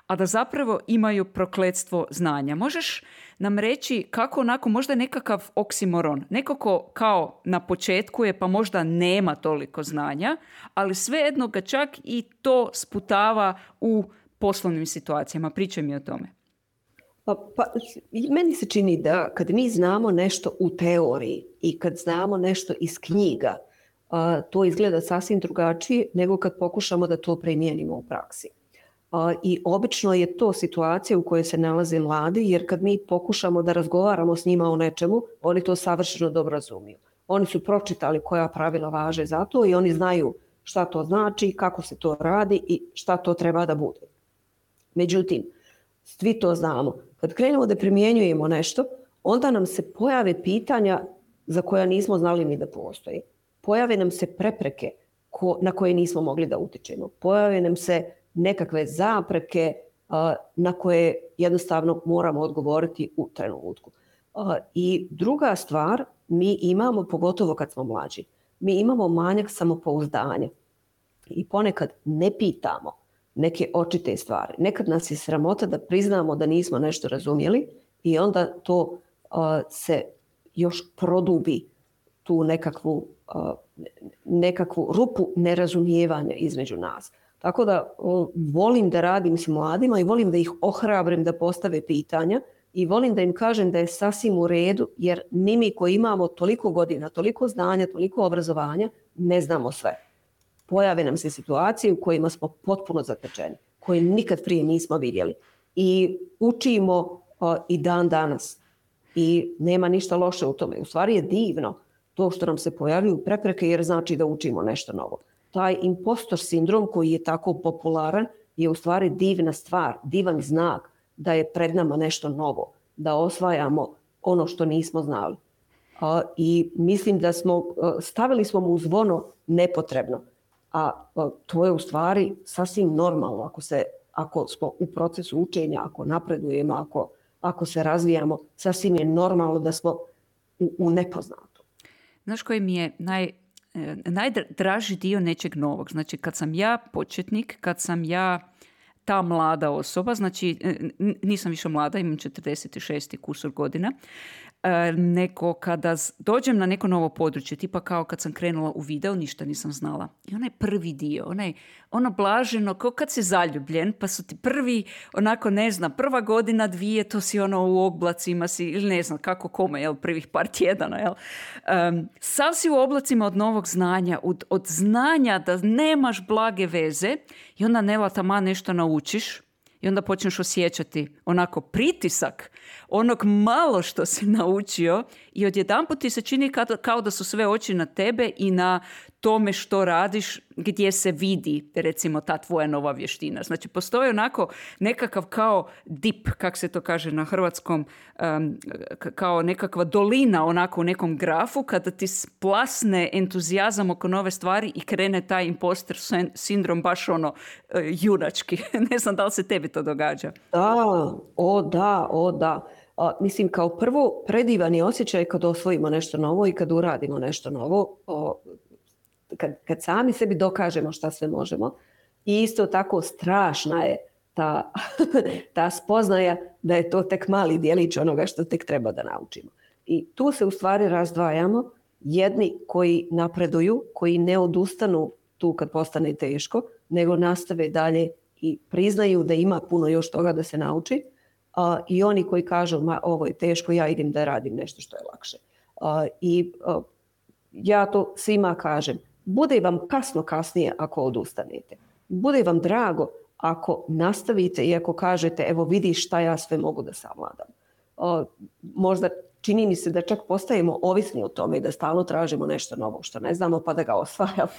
Speaker 1: a da zapravo imaju prokletstvo znanja. Možeš nam reći kako onako možda nekakav oksimoron, neko ko kao na početku je pa možda nema toliko znanja, ali svejedno ga čak i to sputava u poslovnim situacijama. Pričaj mi o tome.
Speaker 2: Pa, meni se čini da kad mi znamo nešto u teoriji i kad znamo nešto iz knjiga, to izgleda sasvim drugačije nego kad pokušamo da to primijenimo u praksi. I obično je to situacija u kojoj se nalaze mladi, jer kad mi pokušamo da razgovaramo s njima o nečemu, oni to savršeno dobro razumiju. Oni su pročitali koja pravila važe za to i oni znaju šta to znači, kako se to radi i šta to treba da bude. Međutim, svi to znamo. Kad krenemo da primjenjujemo nešto, onda nam se pojave pitanja za koja nismo znali ni da postoji. Pojave nam se prepreke na koje nismo mogli da utičemo. Pojave nam se nekakve zapreke na koje jednostavno moramo odgovoriti u trenutku. I druga stvar, mi imamo, pogotovo kad smo mlađi, mi imamo manjak samopouzdanja i ponekad ne pitamo neke očite stvari. Nekad nas je sramota da priznamo da nismo nešto razumjeli i onda to se još produbi tu nekakvu rupu nerazumijevanja između nas. Tako da volim da radim s mladima i volim da ih ohrabrim da postave pitanja i volim da im kažem da je sasvim u redu, jer ni mi koji imamo toliko godina, toliko znanja, toliko obrazovanja, ne znamo sve. Pojave nam se situacije u kojima smo potpuno zatečeni, koje nikad prije nismo vidjeli. I učimo i dan danas. I nema ništa loše u tome. U stvari je divno to što nam se pojavljuju prepreke, jer znači da učimo nešto novo. Taj impostor sindrom koji je tako popularan je u stvari divna stvar, divan znak da je pred nama nešto novo, da osvajamo ono što nismo znali. I mislim da stavili smo mu zvono nepotrebno. A to je u stvari sasvim normalno ako smo u procesu učenja, ako napredujemo, ako se razvijamo, sasvim je normalno da smo u nepoznatu.
Speaker 1: Znaš koji mi je najdraži dio nečeg novog? Znači kad sam ja početnik, kad sam ja ta mlada osoba, znači nisam više mlada, imam 46 kusur godina, nego kada dođem na neko novo područje, tipa kao kad sam krenula u video, ništa nisam znala. I onaj prvi dio, ono blaženo, kao kad si zaljubljen, pa su ti prvi, onako ne znam, prva godina, dvije, to si u oblacima si, ili ne znam kako kome, prvih par tjedana, sav si u oblacima od novog znanja, od znanja da nemaš blage veze i onda nela tama nešto naučiš. I onda počneš osjećati onako pritisak onog malo što si naučio i odjedanput ti se čini kao da su sve oči na tebe i na tome što radiš, gdje se vidi recimo ta tvoja nova vještina. Znači postoji onako nekakav kao dip, kak se to kaže na hrvatskom, kao nekakva dolina onako u nekom grafu kada ti splasne entuzijazam oko nove stvari i krene taj imposter sindrom baš junački. Ne znam da li se tebi to događa.
Speaker 2: Da. Mislim, kao prvo, predivan je osjećaj kad osvojimo nešto novo i kad uradimo nešto novo. Kad sami sebi dokažemo šta sve možemo. I isto tako strašna je ta spoznaja da je to tek mali djelić onoga što tek treba da naučimo. I tu se u stvari razdvajamo. Jedni koji napreduju, koji ne odustanu tu kad postane teško, nego nastave dalje i priznaju da ima puno još toga da se nauči. I oni koji kažu, ovo je teško, ja idem da radim nešto što je lakše. Ja to svima kažem. Bude vam kasnije ako odustanete. Bude vam drago ako nastavite i ako kažete, evo vidiš šta ja sve mogu da savladam. Možda čini mi se da čak postajemo ovisni o tome i da stalno tražimo nešto novo što ne znamo pa da ga osvajamo.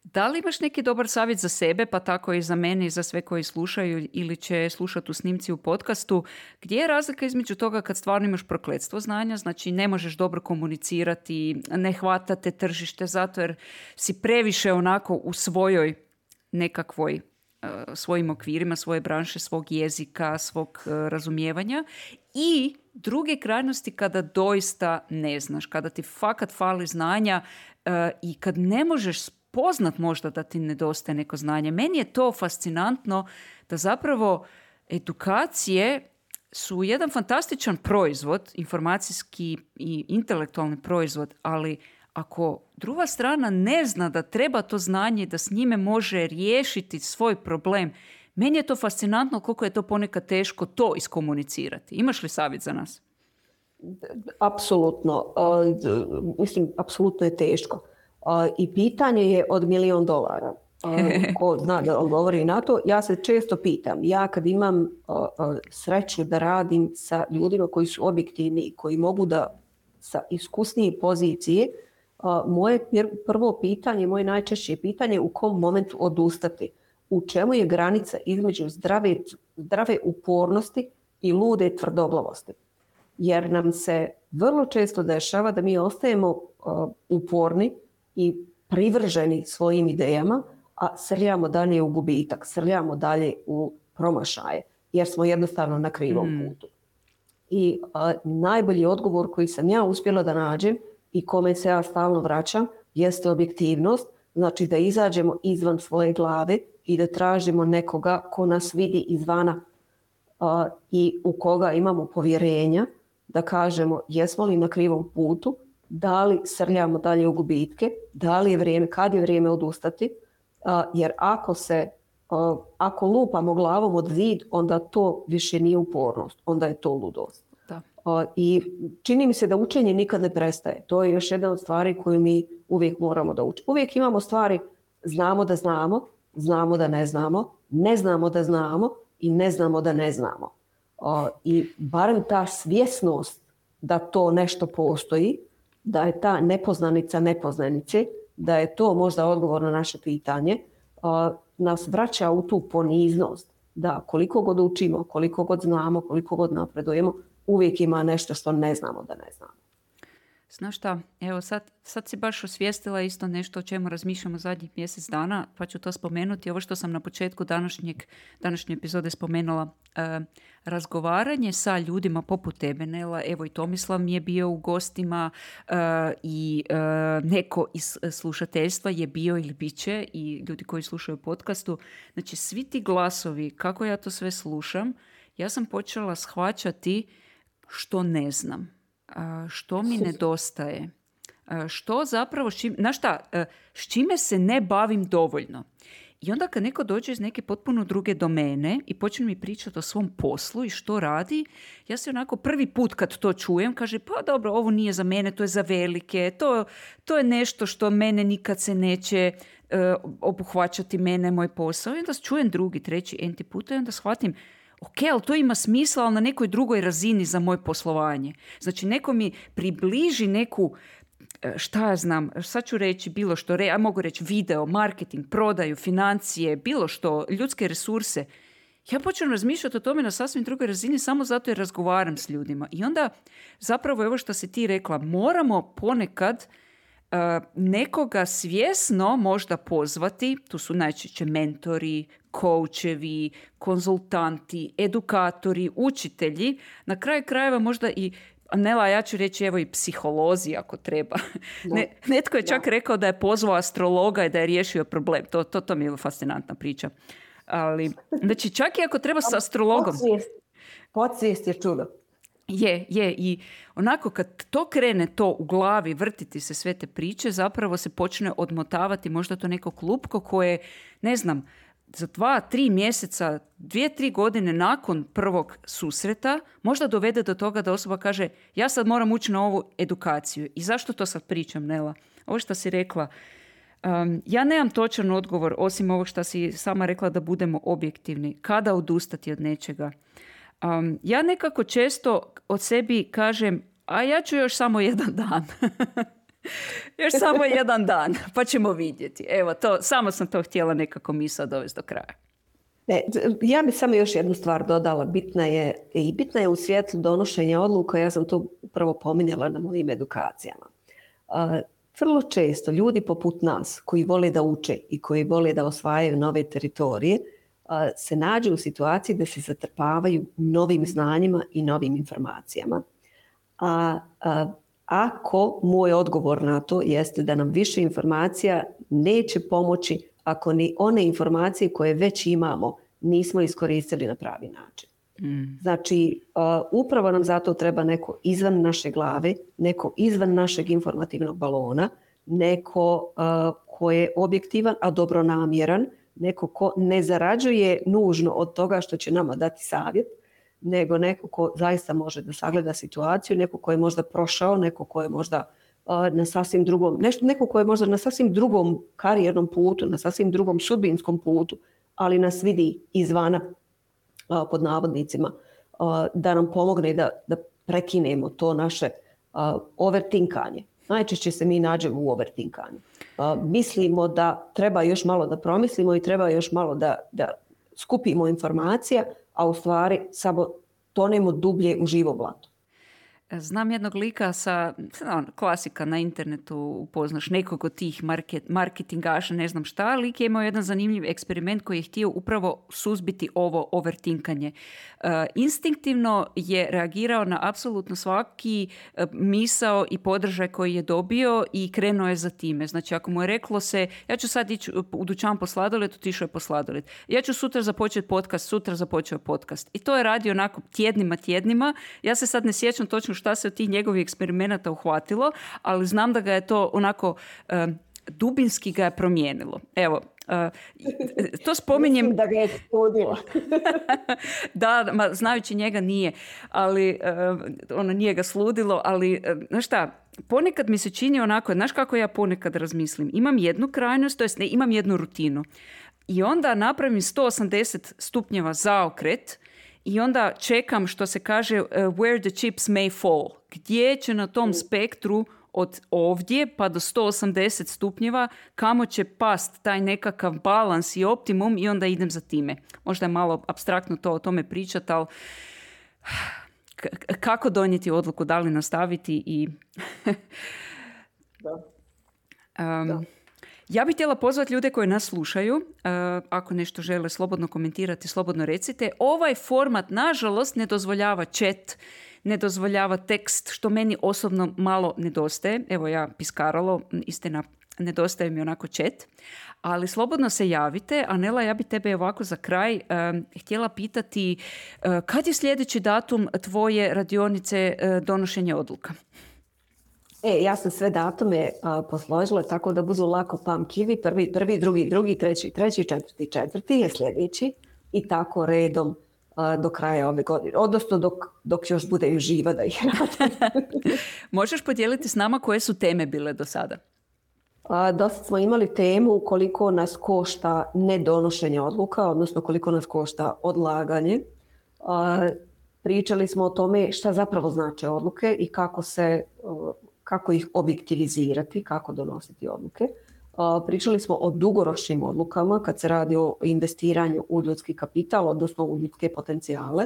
Speaker 1: Da li imaš neki dobar savjet za sebe, pa tako i za mene i za sve koji slušaju ili će slušati u snimci u podcastu, gdje je razlika između toga kad stvarno imaš prokletstvo znanja, znači ne možeš dobro komunicirati, ne hvatate tržište zato jer si previše onako u svojoj nekakvoj svojim okvirima, svoje branše, svog jezika, svog razumijevanja, i druge krajnosti kada doista ne znaš, kada ti fakat fali znanja i kad ne možeš spoznat možda da ti nedostaje neko znanje. Meni je to fascinantno da zapravo edukacije su jedan fantastičan proizvod, informacijski i intelektualni proizvod, ali ako druga strana ne zna da treba to znanje i da s njime može riješiti svoj problem, meni je to fascinantno koliko je to ponekad teško to iskomunicirati. Imaš li savjet za nas?
Speaker 2: Apsolutno. Mislim, apsolutno je teško. I pitanje je od $1.000.000. Ko zna da odgovori na to, ja se često pitam, ja kad imam sreću da radim sa ljudima koji su objektivni i koji mogu da sa iskusnije pozicije, moje prvo pitanje, moje najčešće pitanje je u kom momentu odustati. U čemu je granica između zdrave upornosti i lude tvrdoglavosti. Jer nam se vrlo često dešava da mi ostajemo uporni i privrženi svojim idejama, a srljamo dalje u gubitak, srljamo dalje u promašaje, jer smo jednostavno na krivom putu. I najbolji odgovor koji sam ja uspjela da nađem i kome se ja stalno vraćam jeste objektivnost, znači da izađemo izvan svoje glave i da tražimo nekoga ko nas vidi izvana i u koga imamo povjerenja, da kažemo jesmo li na krivom putu, da li srljamo dalje u gubitke, da li je vrijeme, kad je vrijeme odustati, jer ako lupamo glavom od zid, onda to više nije upornost, onda je to ludost.
Speaker 1: Da.
Speaker 2: I čini mi se da učenje nikad ne prestaje. To je još jedna od stvari koju mi uvijek moramo da učimo. Uvijek imamo stvari, znamo da znamo, znamo da ne znamo, ne znamo da znamo i ne znamo da ne znamo. I barem ta svjesnost da to nešto postoji, da je ta nepoznanica nepoznanice, da je to možda odgovor na naše pitanje, nas vraća u tu poniznost. Da koliko god učimo, koliko god znamo, koliko god napredujemo, uvijek ima nešto što ne znamo da ne znamo.
Speaker 1: Znaš šta, evo sad si baš osvijestila isto nešto o čemu razmišljamo zadnjih mjesec dana, pa ću to spomenuti. Ovo što sam na početku današnje epizode spomenula, razgovaranje sa ljudima poput tebe, Nela, evo i Tomislav mi je bio u gostima i neko iz slušateljstva je bio ili bit će i ljudi koji slušaju podcastu. Znači svi ti glasovi, kako ja to sve slušam, ja sam počela shvaćati što ne znam. Što mi nedostaje, što zapravo, s čime se ne bavim dovoljno. I onda kad neko dođe iz neke potpuno druge domene i počne mi pričati o svom poslu i što radi, ja se onako prvi put kad to čujem, kaže pa dobro, ovo nije za mene, to je za velike, to je nešto što mene nikad se neće obuhvaćati mene, moj posao. I onda čujem drugi, treći, enti puta i onda shvatim, ok, ali to ima smisla, ali na nekoj drugoj razini za moje poslovanje. Znači, neko mi približi neku, šta ja znam, sad ću reći bilo što, ja mogu reći video, marketing, prodaju, financije, bilo što, ljudske resurse. Ja počnem razmišljati o tome na sasvim drugoj razini samo zato jer razgovaram s ljudima. I onda zapravo evo što si ti rekla, moramo ponekad nekoga svjesno možda pozvati, tu su najčešće mentori, koučevi, konzultanti, edukatori, učitelji, na kraju krajeva možda i, Nela, ja ću reći evo i psiholozi ako treba. Netko je čak rekao da je pozvao astrologa i da je riješio problem. To mi je fascinantna priča. Ali, znači čak i ako treba s astrologom.
Speaker 2: Podsvijest je čudo.
Speaker 1: Je. I onako kad to krene to u glavi, vrtiti se sve te priče, zapravo se počne odmotavati možda to neko klupko koje, ne znam, za 2-3 mjeseca, 2-3 godine nakon prvog susreta možda dovede do toga da osoba kaže ja sad moram ući na ovu edukaciju. I zašto to sad pričam, Nela? Ovo što si rekla, ja nemam točan odgovor osim ovog što si sama rekla da budemo objektivni. Kada odustati od nečega? Ja nekako često od sebi kažem, a ja ću još samo jedan dan. Još samo jedan dan, pa ćemo vidjeti. Evo, samo sam to htjela nekako misao dovesti do kraja.
Speaker 2: Ja bih samo još jednu stvar dodala. Bitna je u svijetlu donošenja odluka, ja sam to upravo pominjala na mojim edukacijama. Vrlo često ljudi poput nas koji vole da uče i koji vole da osvajaju nove teritorije se nađu u situaciji da se zatrpavaju novim znanjima i novim informacijama. Ako moj odgovor na to jeste da nam više informacija neće pomoći ako ni one informacije koje već imamo nismo iskoristili na pravi način. Znači, upravo nam zato treba neko izvan naše glave, neko izvan našeg informativnog balona, neko ko je objektivan, a dobronamjeran, neko ko ne zarađuje nužno od toga što će nama dati savjet, nego neko ko zaista može da sagleda situaciju, neko ko je možda prošao, neko ko je možda na sasvim drugom, neko ko je možda na sasvim drugom karijernom putu, na sasvim drugom sudbinskom putu, ali nas vidi izvana, pod navodnicima, da nam pomogne da prekinemo to naše overtinkanje. Najčešće se mi nađemo u overtinkanju. Mislimo da treba još malo da promislimo i treba još malo da skupimo informacije, a u stvari samo tonemo dublje u živo blato.
Speaker 1: Znam jednog lika klasika na internetu, upoznaš nekog od tih marketingaša, ne znam šta, lik je imao jedan zanimljiv eksperiment koji je htio upravo suzbiti ovo overtinkanje. Instinktivno je reagirao na apsolutno svaki misao i podržaj koji je dobio i krenuo je za time. Znači, ako mu je reklo se, ja ću sad ići u dućan po sladoled, otišao je po sladoled. Ja ću sutra započeti podcast, sutra započeo podcast. I to je radio onako tjednima. Ja se sad ne sjećam točno šta se od tih njegovih eksperimenata uhvatilo, ali znam da ga je to onako dubinski ga je promijenilo. Evo, to spominjem...
Speaker 2: Mislim da ga je studila.
Speaker 1: Da, znajući njega nije, ali nije ga sludilo, ali znaš šta, ponekad mi se čini onako, znaš kako ja ponekad razmislim, imam jednu krajnost, to jest ne, imam jednu rutinu i onda napravim 180 stupnjeva zaokret i onda čekam, što se kaže, where the chips may fall. Gdje će na tom spektru od ovdje pa do 180 stupnjeva, kamo će past taj nekakav balans i optimum i onda idem za time. Možda je malo apstraktno to o tome pričati, ali kako donijeti odluku, da li nastaviti i...
Speaker 2: Da.
Speaker 1: Ja bih htjela pozvati ljude koji nas slušaju, ako nešto žele slobodno komentirati, slobodno recite. Ovaj format, nažalost, ne dozvoljava chat, ne dozvoljava tekst, što meni osobno malo nedostaje. Evo ja piskaralo, istina, nedostaje mi onako chat. Ali slobodno se javite. Anela, ja bi tebe ovako za kraj htjela pitati kad je sljedeći datum tvoje radionice donošenja odluka?
Speaker 2: Ja sam sve datume posložila tako da budu lako pamtljivi. Prvi, drugi, treći, četvrti je sljedeći i tako redom do kraja ove godine. Odnosno dok još bude živa da ih radim.
Speaker 1: Možeš podijeliti s nama koje su teme bile do sada?
Speaker 2: Dosta smo imali temu koliko nas košta nedonošenje odluka, odnosno koliko nas košta odlaganje. Pričali smo o tome šta zapravo znače odluke i kako ih objektivizirati, kako donositi odluke. Pričali smo o dugoročnim odlukama kad se radi o investiranju u ljudski kapital, odnosno u ljudske potencijale.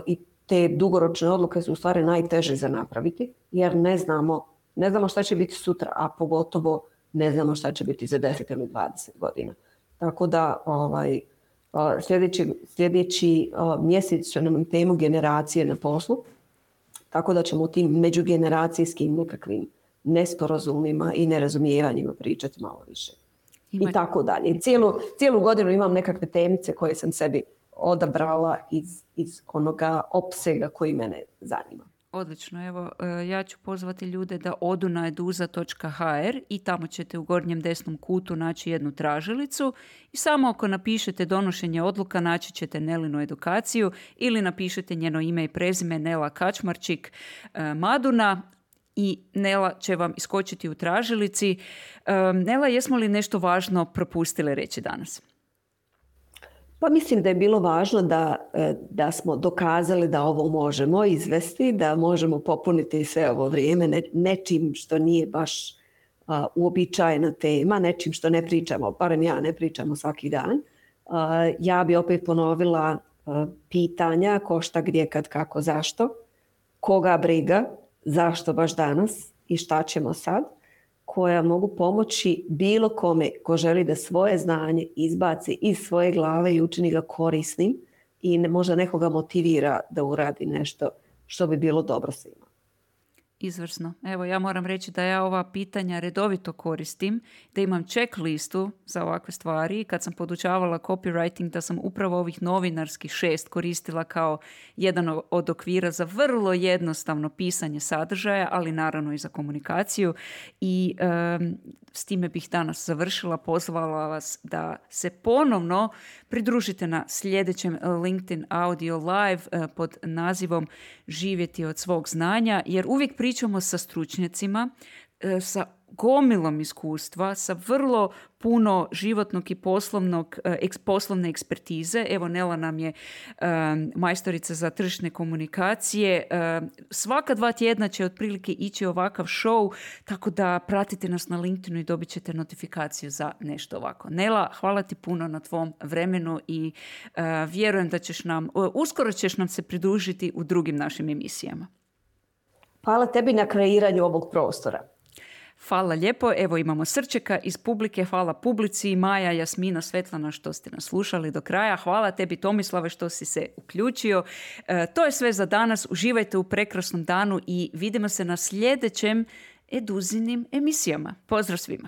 Speaker 2: I te dugoročne odluke su u stvari najteže za napraviti, jer ne znamo šta će biti sutra, a pogotovo ne znamo šta će biti za 10 ili 20 godina. Tako da sljedeći mjesec će nam temu generacije na poslu, tako da ćemo o tim međugeneracijskim nekakvim nesporazumima i nerazumijevanjima pričati malo više. I tako dalje. Cijelu godinu imam nekakve temice koje sam sebi odabrala iz onoga opsega koji mene zanima.
Speaker 1: Odlično, evo ja ću pozvati ljude da odu na eduza.hr i tamo ćete u gornjem desnom kutu naći jednu tražilicu i samo ako napišete donošenje odluka naći ćete Nelinu edukaciju ili napišete njeno ime i prezime Nela Kačmarčik Maduna i Nela će vam iskočiti u tražilici. Nela, jesmo li nešto važno propustile reći danas?
Speaker 2: Pa mislim da je bilo važno da smo dokazali da ovo možemo izvesti, da možemo popuniti sve ovo vrijeme nečim što nije baš uobičajena tema, nečim što ne pričamo, barem ja ne pričamo svaki dan. Ja bi opet ponovila pitanja ko šta, gdje, kad, kako, zašto, koga briga, zašto baš danas i šta ćemo sad, koja mogu pomoći bilo kome ko želi da svoje znanje izbaci iz svoje glave i učini ga korisnim i možda nekoga motivira da uradi nešto što bi bilo dobro svima.
Speaker 1: Izvrsno. Evo, ja moram reći da ja ova pitanja redovito koristim, da imam checklistu za ovakve stvari. Kad sam podučavala copywriting, da sam upravo ovih novinarskih 6 koristila kao jedan od okvira za vrlo jednostavno pisanje sadržaja, ali naravno i za komunikaciju. I s time bih danas završila. Pozvala vas da se ponovno pridružite na sljedećem LinkedIn Audio Live pod nazivom Živjeti od svog znanja, jer uvijek pričamo sa stručnjacima, sa gomilom iskustva, sa vrlo puno životnog i poslovne ekspertize. Evo, Nela nam je majstorica za tržišne komunikacije. Svaka 2 tjedna će otprilike ići ovakav show, tako da pratite nas na LinkedInu i dobit ćete notifikaciju za nešto ovako. Nela, hvala ti puno na tvom vremenu i vjerujem da uskoro ćeš nam se pridružiti u drugim našim emisijama.
Speaker 2: Hvala tebi na kreiranju ovog prostora.
Speaker 1: Hvala lijepo. Evo, imamo srčeka iz publike. Hvala publici. Maja, Jasmina, Svetlana što ste nas slušali do kraja. Hvala tebi, Tomislave, što si se uključio. To je sve za danas. Uživajte u prekrasnom danu i vidimo se na sljedećem Eduzinim emisijama. Pozdrav svima.